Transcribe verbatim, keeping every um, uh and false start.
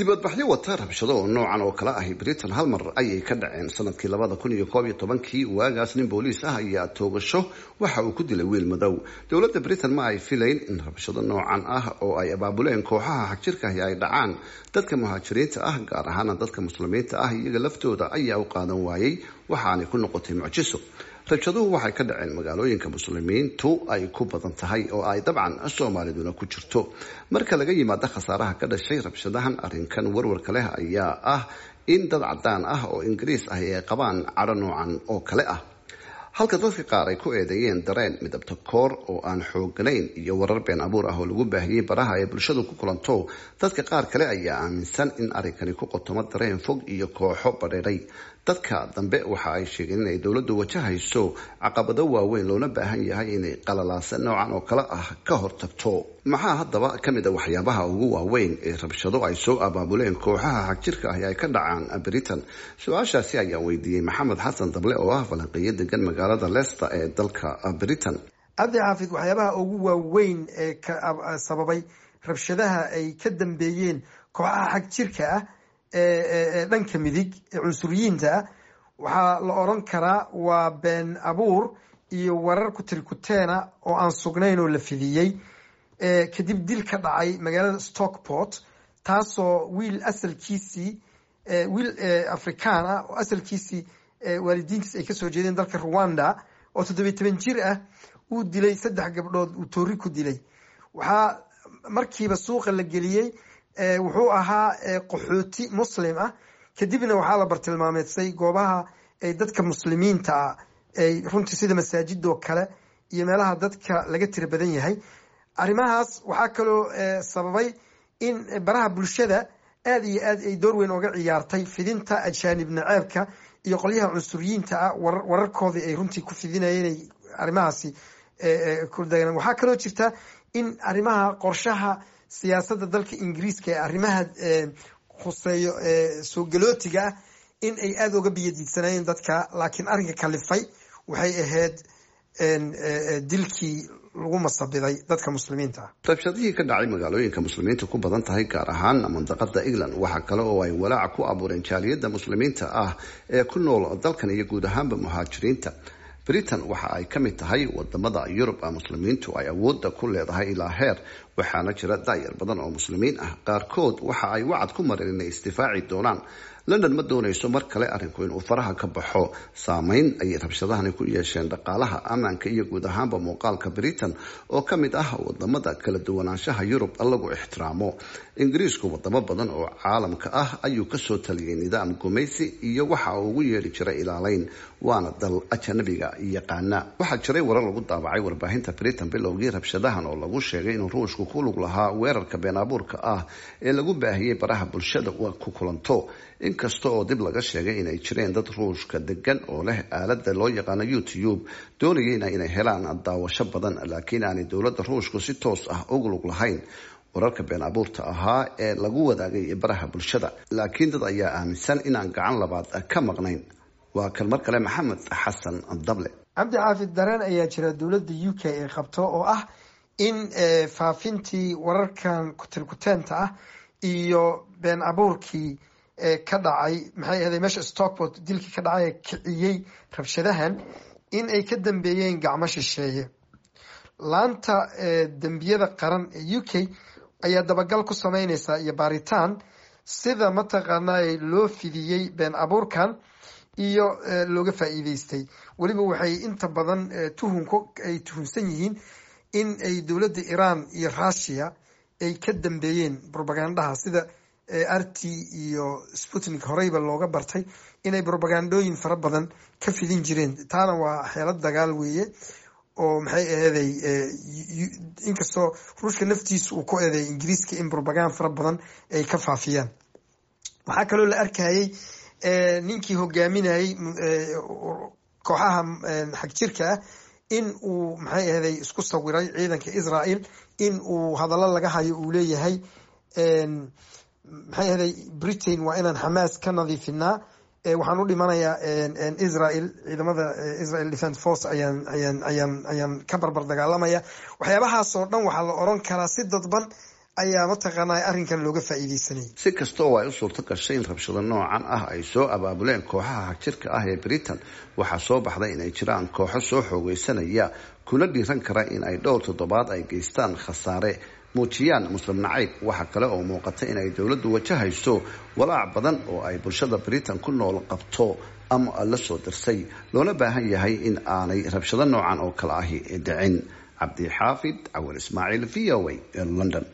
Dibadbaxyo wata rabshado oo noocan oo kale ahi Britain hal mar ayay ka dhaceen sanadkii labada kun iyo koob iyo tobankii. Waagaas nin booliis ah ayaa toogasho waxa uu ku dilay wiil madow. Dowladda Britain ma ay filayn in rabshado noocan ah oo ay abaabuleen kooxaha xagjirka ahi ay dhacaan. Dadka muhaajiriinta ah, gaar ahaana dadka Muslimiinta ah, iyaga laftooda ayaa u qaadan waayey, waxaanay ku noqotay mucjiso. Rabshaduhu waxay ka dhaceen magaalooyinka Muslimiintu ay ku badan tahay, oo ay dabcan Soomaaliduna ku jirto. Marka laga yimaado khasaaraha ka dhashay rabshadahan, arrinkan warwarka leh ayaa ah in dad cadaan ah oo Ingiriis ahi ay qabaan cadho noocan oo kale ah, halka dadka qaar ay ku eedeeyeen dareen midabta koor oo aan xooganayn iyo warar been abuur ah oo lagu baahiyey baraha ay bulshadu ku kulanto. Dadka qaar kale ayaa aaminsan in arrinkani ku qotomo dareen fog iyo kooxo badheedhay. Dadka dambe waxa ay sheegeen inay dowladdu wajahayso caqabado waaweyn, loona baahan yahay inay qalalaasa noocan oo kale ah ka hortagto. Maxaa haddaba ka mid a waxyaabaha ugu waaweyn ee rabshado ay soo abaabuleen kooxaha xagjirka ahi ay ka dhacaan Britain? Su-aashaasi ayaa weydiiyey Maxamed Xasan Dable oo ah falanqeeyo degan magaalada Leicester ee dalka Britain. Cabdi Xaafid, waxyaabaha ugu waaweyn ee ka sababay rabshadaha ay ka dambeeyeen kooxaha xag jirka ah ee dhanka midig ee cunsuriyiinta ah waxaa la oran karaa waa been abuur iyo warar kutirikuteena oo aan sugnayn oo la fidiyey kadib dil ka dhacay magaalada Stockport, taasoo wiil asalkiisii, wiil Afrikaan ah oo asalkiisii waalidiintiis ay kasoo jeedeen dalka Rwanda, oo toddobiy toban jir ah, uu dilay saddex gabdhood, uu toori ku dilay. Waxaa markiiba suuqa la geliyey wuxuu ahaa qaxooti Muslim ah. Kadibna waxaa la bartilmaameedsay goobaha ay dadka Muslimiinta ah ay runtii, sida masaajidoo kale iyo meelaha dadka laga tira badan yahay. Arrimahaas waxaa kaloo sababay in baraha bulshada aad iyo aad ay door weyn oga ciyaartay fidinta ajaanib naceebka iyo qolyaha cunsuriyiinta ah wararkoodii ay runtii ku fidinayeen ay arrimahaasi ku dagan. Waxaa kaloo jirta in arrimaha qorshaha siyaasadda dalka Ingiriiska ee arrimaha khuseeyo soo galootiga ah in ay aada uga biyadiidsanayeen dadka, laakiin arrinka kalifay waxay ahayd dilkii lagu masabiday dadka Muslimiinta ah. Rabshadihii ka dhacay magaalooyinka Muslimiinta ku badan tahay, gaar ahaan mandaqada England, waxaa kale oo ay walaaca ku abuureen jaaliyadda Muslimiinta ah ee ku nool dalkan iyo guud ahaanba muhaajiriinta. Britain waxa ay ka mid tahay wadamada Yurub Muslimiintu ay awoodda ku leedahay ilaa heer, waxaana jira daayar badan oo Muslimiin ah. Qaarkood waxa ay wacad ku mareen inay isdifaaci doonaan. London ma doonayso mar kale arrinku inuu faraha ka baxo. Saameyn ayay rabshadahani ku yeesheen dhaqaalaha, ammaanka iyo guud ahaanba muuqaalka Britain oo ka mid ah wadamada kala duwanaanshaha Yurub lagu ixtiraamo. Ingiriisku wadamo badan oo caalamka ah ayuu kasoo taliyay nidaam gumaysi iyo waxa uu ugu yeedhi jiray ilaaleyn, waana dal ajanabiga yaqaana. Waxaa jiray warar lagu daabacay warbaahinta Britain bilowgii rabshadahan oo lagu sheegay inuu Ruushku ku lug lahaa weerarka been abuurka ah ee lagu baahiyey baraha bulshada ku kulanto, inkasta oo dib laga sheegay inay jireen dad Ruushka degan oo leh aalada loo yaqaano YouTube doonayeyna inay helaan daawasho badan, laakiin aanay dowladda Ruushku si toos ah ugu lug lahayn wararka been abuurta ahaa ee lagu wadaagay baraha bulshada. Laakiin dad ayaa aaminsan inaan gacan labaad ka maqnayn. Waa kan mar kale Maxamed Xasan Dable. Cabdi Xaafid, dareen ayaa jira dowladda U K ay qabto oo ah in faafintii wararkan kutirkuteenta ah iyo been abuurkii ka dhacay, maxay ahday, meesha Stockport, dilkii ka dhacay ee kiciyey rabshadahan, in ay ka dambeeyeen gacmo shisheeye. Laanta dembiyada qaran ee U K ayaa dabagal ku sameyneysa iyo baaritaan sida mataqaanaa loo fidiyey been abuurkan iyo looga faa'iideystay. Weliba waxay inta badan tuhunku ay tuhunsan yihiin in ay dowladda Iran iyo Russia ay ka dambeeyeen propagandaha, sida R T iyo Sputnik horeyba looga bartay inay propagandooyin fara badan ka fidin jireen. Taana waa xeelad dagaal weeye oo maxay aheeday, inkastoo Ruushka naftiisa uu ku eedeey Ingiriiska in propagand fara badan ay ka faafiyaan. Waxaa kaloo la arkayay ninkii hogaaminayey kooxaha xagjirka ah in uu, maxay aheeday, isku sawiray ciidanka Israel, in uu hadallo laga hayo uu leeyahay, maxay aheeday, "Britain waa inaan Xamaas ka nadiifinaa, waxaan u dhimanayaa Israel, ciidamada Israel Defence Force ayaan ayaan ayaan ayaan ka barbar dagaalamaya." Waxyaabahaas oo dhan waxaa la oran karaa si dadban Ayaa mataqaanaa arrinkan looga faa'iidaysanayay. Si kasta oo ay u suurto gashay in rabshado noocan ah ay soo abaabuleen kooxaha xagjirka ah ee Britain, waxaa soo baxday inay jiraan kooxo soo xoogeysanaya, kuna dhiiran kara in ay dhowr toddobaad ay geystaan khasaare, muujiyaan Muslim nacayb. Waxaa kale oo muuqata in ay dowladdu wajahayso walaac badan oo ay bulshada Britain ku nool qabto ama la soo dirsay, loona baahan yahay in aanay rabshado noocan oo kale ahi dhicin. Cabdixaafid Cawal Ismaaciil, V O A, London.